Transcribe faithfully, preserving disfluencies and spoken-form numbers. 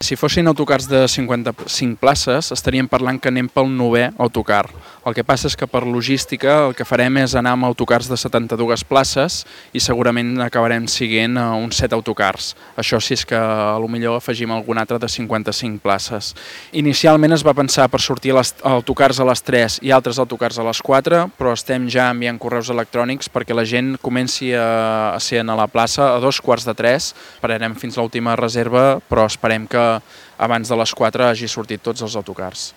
Si fossin autocars de cinquanta-cinc places, estaríem parlant que anem pel novè autocar. El que passa és que per logística el que farem és anar amb autocars de setanta-dues places i segurament acabarem siguent uns set autocars. Això sí és que potser afegim algun altre de cinquanta-cinc places. Inicialment es va pensar per sortir autocars a les tres i altres autocars a les quatre, però estem ja enviant correus electrònics perquè la gent comenci a ser a la plaça a dos quarts de tres. Esperarem fins l'última reserva, però esperem que abans de les quatre hagi sortit tots els autocars.